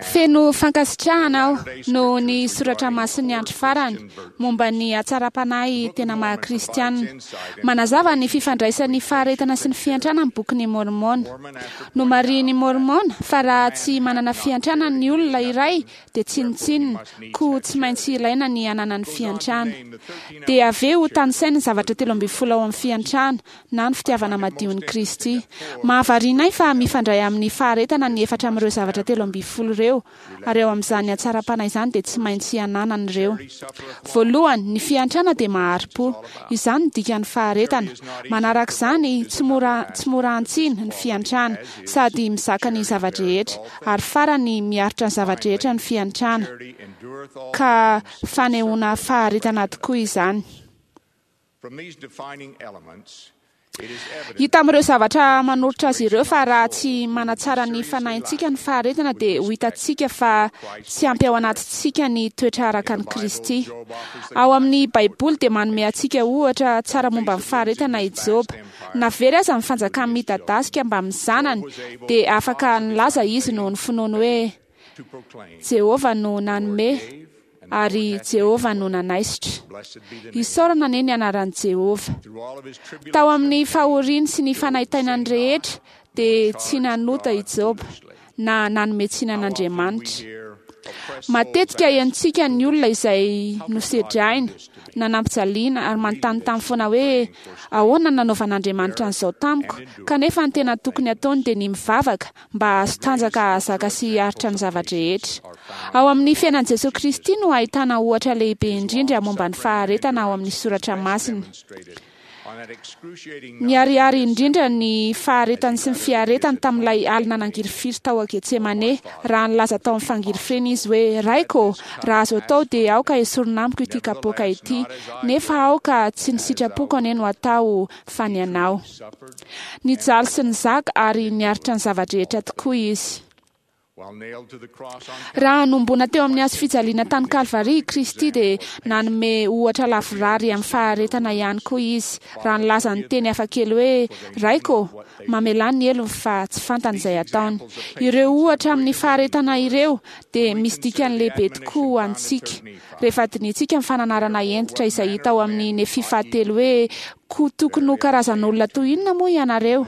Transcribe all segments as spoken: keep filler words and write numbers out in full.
Feno fankasitrahana aho noho ny soratra masin'ny andro farany momba ny hatsaram-panahy tena maha-kristiana. Manazava ny fifandraisan'ny faharetana sy ny fiantrana ny Bokin'i Môrmôna. Nomarihin'i Môrmôna fa raha tsy manana fiantrana ny olona iray dia tsinontsinona, koa tsy maintsy ilaina ny hananany fiantrana. Dia avy eo tanisainy ny zavatra telo ambin'ny folo ao amin'ny fiantrana, na ny fitiavana madion'i Kristy. Mahavariana ahy fa mifandray amin'ny faharetana ny efatra amin'ireo zavatra telo ambin'ny folo ireo, ary ao amin'izany hatsaram-panahy izany dia tsy maintsy ananana ireo. Voalohany, ny fiantrana dia mahari-po. Izany no dikan'ny faharetana. Manaraka izany, tsy mora tsy mora hantsina ny fiantrana, sady mizaka ny zava-drehetra, ary farany, miaritra ny zava-drehetra ny fiantrana. Ka fanehoana faharetana tokoa izany. Hita amin'ireo zavatra manoritra azy ireo fa raha tsy manatsara ny fanahintsika ny faharetana dia ho hitantsika fa tsy ampy ao anatintsika ny toetra araka an'i Kristy. Ao amin'ny Baiboly dia manome antsika ohatra tsara momba ny faharetana i Joba. Na very aza ny fanjakany midadasika mbamin'ny zanany dia afaka nilaza izy noho ny finoany hoe, Jehovah no nanome ary Jehovah no nanaisotra. Isaorana anie ny anaran'i Jehovah. Tao amin'ny fahoriany sy ny fanaintainany rehetra, dia tsy nanota i Joba, na nanome tsiny an'Andriamanitra. Matetika henontsika ny olona izay nosedraina na nampijaliana ary manontany foana hoe, Ahoana no nanaovan'Andriamanitra an'izao tamiko? Kanefa ny tena tokony hataony dia ny mivavaka mba hahazo tanjaka hahazaka sy hiaritra ny zava-drehetra. Ao amin'ny fiainan'i Jesoa Kristy no ahitana ohatra lehibe indrindra momba ny faharetana ao amin'ny soratra masina. Niharihary indrindra ny faharetany sy ny fiaretany tamin'ilay alina nangirifiry tao Getsemane, raha nilaza tao amin'ny fangirifiriny izy hoe, Raiko ô, raha azo atao dia aoka esorina amiko ity kapoaka ity, nefa aoka tsy ny sitrapoko anie no atao fa ny anao. Nijaly sy nizaka ary niaritra ny zava-drehetra tokoa izy. Raha nohomboana teo amin'ny hazo fijaliana tany Kalvary i Kristy dia nanome ohatra lavorary amin'ny faharetana ihany koa izy, raha nilaza ny teny hafakely hoe, Raiko ô, mamelà ny helony fa tsy fantany izay ataony. Ireo ohatra amin'ny faharetana ireo dia misy dikany lehibe tokoa ho antsika, rehefa dinihintsika ny fananarana hentitra izay hita ao amin'ny Nefia fahatelo hoe, Koa tokony ho karazan'olona toy inona moa ianareo?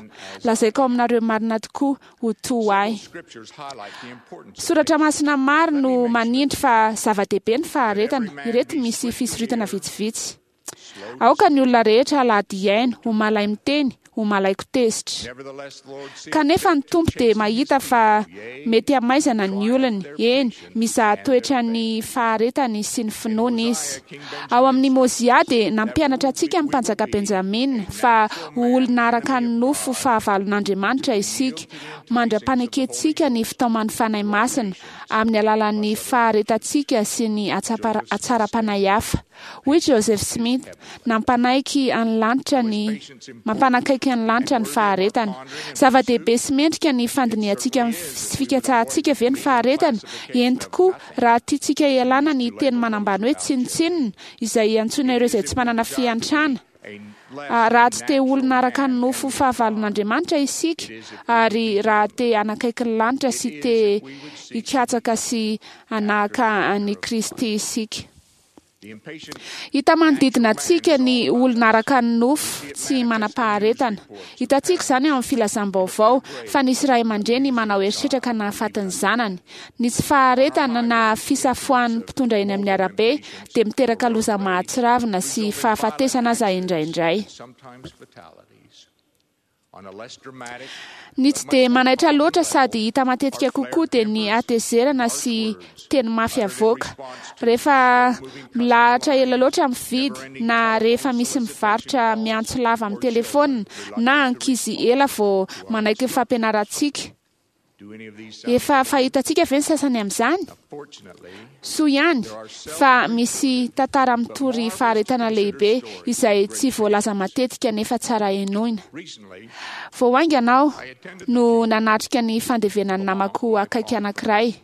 Lazaiko aminareo marina tokoa, ho toa ahy. Soratra masina maro no manindry fa zava-dehibe ny faharetana. Ireto misy fisoritana vitsivitsy. Aoka ny olona rehetra halady hihaino, ho malai-miteny, ho malaiko tezitra. Kanefa ny Tompo dia mahita fa mety hamaizana ny olony, eny, mizaha toetra ny faharetany sy ny finoany izy. Ao amin'ny Môzià dia nampianatra antsika ny Mpanjaka Benjamina fa ho olona araka ny nofo fahavalon'Andriamanitra isika mandra-panekentsika ny fitaoman'ny Fanahy Masina amin'ny alalan'ny faharetantsika sy ny hatsaram-panahy hafa. Hoy Joseph Smith, Nampanaiky an'ny lanitra ny Mampanakaiky ny lanitra ny faharetana. Zava-dehibe sy mendrika ny fandinihantsika sy fikatsahantsika ve ny faharetana? Eny tokoa, raha tiantsika hialana ny teny manambany hoe tsinontsinona, izay iantsoana ireo izay tsy manana fiantrana. Raha tsy te ho olona araka ny nofo ho fahavalon'Andriamanitra isika, ary raha te hanakaiky ny lanitra sy te hikatsaka sy hanahaka an'i Kristy isika. Hita manodidina antsika ny olona araka ny nofo, tsy manam-paharetana. Hitantsika izany ao amin'ny filazam-baovao, fa nisy ray aman-dreny manao herisetra ka nahafaty ny zanany. Ny tsy faharetana na fisafoahan'ny mpitondra eny amin'ny arabe dia miteraka loza mahatsiravina sy fahafatesana aza indraindray. Ny tsy dia manaitra loatra sady hita matetika kokoa dia ny hatezerana sy teny mafy avoaka. Rehefa milahatra ela loatra mividy, na rehefa misy mivarotra miantso lava amin'ny telefaonina, na ankizy ela vao manaiky ny fampianarantsika. Efa fahitantsika ve ny sasany amin'izany? Soa ihany fa misy tantara mitory faharetana lehibe izay tsy voalaza matetika nefa tsara henoina. Vao haingana aho no nanatrika ny fandevenan'ny namako akaiky anankiray.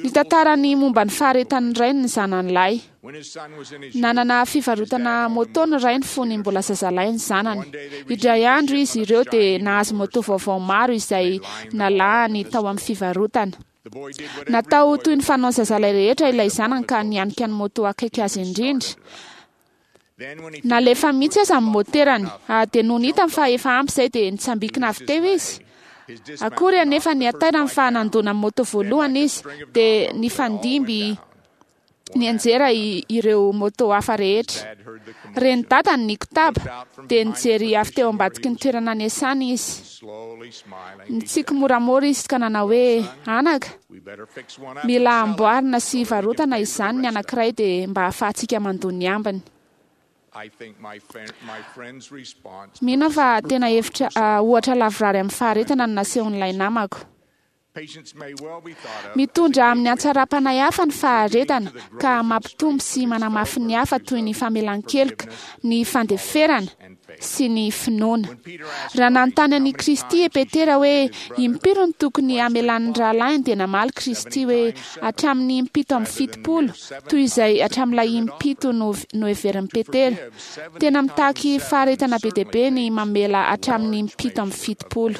Nitantara ny momba ny faharetan'ny rainy ny zanany lahy. Nanana fivarotana moto ny rainy fony mbola zazalahy ny zanany. Indray andro izy ireo dia nahazo moto vaovao maro izay nalahany tao amin'ny fivarotana. Natao toy ny fanao zazalahy rehetra ilay zanany ka nianika ny moto akaiky azy indrindra. Nalefa mihitsy aza ny moterany, dia nony hitany fa efa ampy izay dia nitsambikina avy teo izy. Akory anefa ny hatairany fa nandona moto voalohany izy, dia nifandimby nianjera ireo moto hafa rehetra. Reny dadany nikotaba, dia nijery avy teo ambadiky ny toerana niasany izy. Nitsiky moramora izy ka nanao hoe, anaka, mila amboarina sy varotana izany ny anankiray dia mba ahafahantsika mandoa ny ambiny. Mino aho fa tena hevitra ohatra lavorary amin'ny faharetana no nasehon'ilay namako. Mitondra amin'ny hatsaram-panahy hafa ny faharetana ka mampitombo sy manamafy ny hafa toy ny famelan-keloka, ny fandeferana sy ny finoana. Raha nanontany an'i Kristy i Petera hoe impiry no tokony hamelan'ny rahalahiny dia namaly Kristy hoe hatramin'ny impito amin'ny fitopolo, toy izay hatramin'ilay impito no noheverin'i Petera. Tena mitaky faharetana be dia be ny mamela hatramin'ny impito amin'ny fitopolo.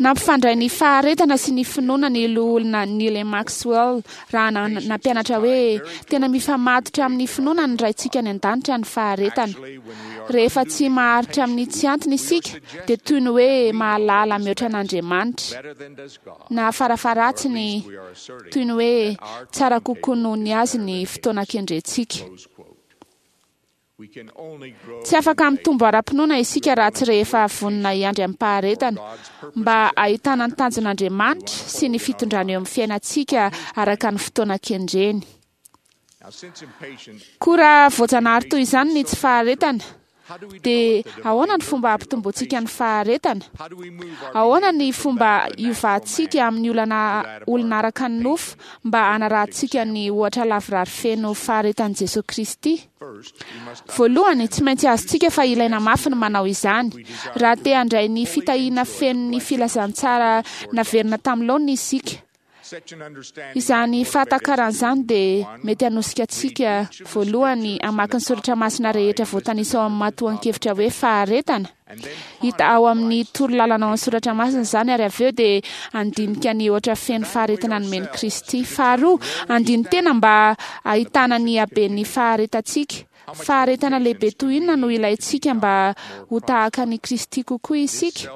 Nampifandray ny faharetana sy ny finoana ny loholona Neal A. Maxwell raha nampianatra hoe tena mifamatotra amin'ny finoana ny Raintsika any an-danitra ny faharetana. Rehefa tsy maharitra amin'ny tsy antony isika dia toy ny hoe mahalala mihoatra an'Andriamanitra, na farafaharatsiny toy ny hoe tsara kokoa noho ny azy ny fotoana kendrentsika. Tsy afaka mitombo ara-pinoana isika raha tsy rehefa vonona hiandry amim-paharetana mba ahitana ny tanjon'Andriamanitra sy ny fitondrany eo amin'ny fiainantsika araka ny fotoana kendreny. Koa raha voajanahary toy izany ny tsy faharetana, dia ahoana ny fomba hampitomboantsika ny faharetana? Ahoana ny fomba hiovantsika amin'ny olana olona araka ny nofo mba hanarahantsika ny ohatra lavorary feno faharetan'i Jesosy Kristy? Voalohany, tsy maintsy azontsika fa ilaina mafy ny manao izany. Raha te handray ny fitahiana feno ny filazantsara naverina tamin'ny laoniny isika, izany fahatakarana izany dia mety hanosika antsika voalohany hamaky ny soratra masina rehetra voatanisa ao amin'ny matoan-kevitra hoe faharetana. Hita ao amin'ny torolalana ao amin'ny soratra masina izany, ary avy eo dia handinika ny ohatra feno faharetana nomen'i Kristy. Faharoa, handini-tena mba hahitana ny haben'ny faharetantsika. Faharetana lehibe toy inona no ilaintsika mba ho tahaka an'i Kristy kokoa isika?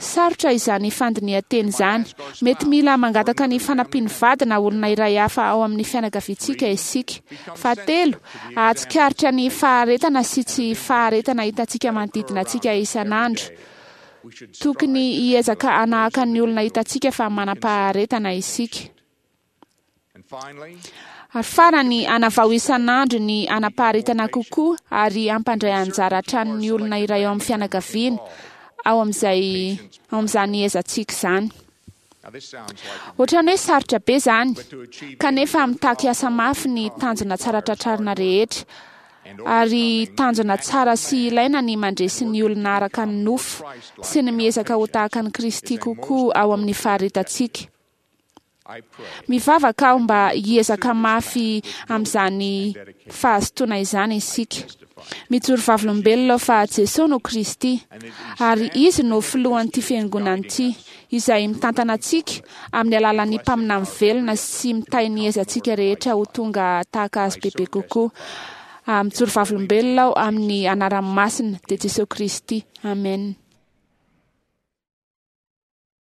Sarotra izany fandinihan-tena izany. Mety mila mangataka ny fanampian'ny vady na olona iray hafa ao amin'ny fianakaviantsika isika. Fahatelo, hahatsikaritra ny faharetana sy tsy faharetana hitantsika manodidina antsika isan'andro. Tokony hiezaka hanahaka ny olona hitantsika fa manam-paharetana isika. Ary farany, hanavao isan'andro ny hanam-paharetana kokoa ary hampandray anjara hatrany ny olona iray ao amin'ny fianakaviana ao amin'izay ao amin'izany ezantsika izany. Ohatran'ny hoe sarotra be izany, kanefa mitaky asa mafy ny tanjona tsara tratrarina rehetra, ary tanjona tsara sy ilaina ny mandresy ny olona araka ny nofo sy ny miezaka ho tahaka an'i Kristy kokoa ao amin'ny faharetantsika. Mivavaka aho mba hiezaka mafy amin'izany fahazotoana izany isika. Mijoro vavolombelona aho fa Jesosy no Kristy, ary Izy no filohan'ity fiangonana ity, izay mitantana antsika amin'ny alalan'ny mpaminany velona sy mitahy ny ezantsika rehetra ho tonga tahaka azy bebe kokoa. Mijoro vavolombelona aho amin'ny anarany masina, dia Jesosy Kristy. Amen.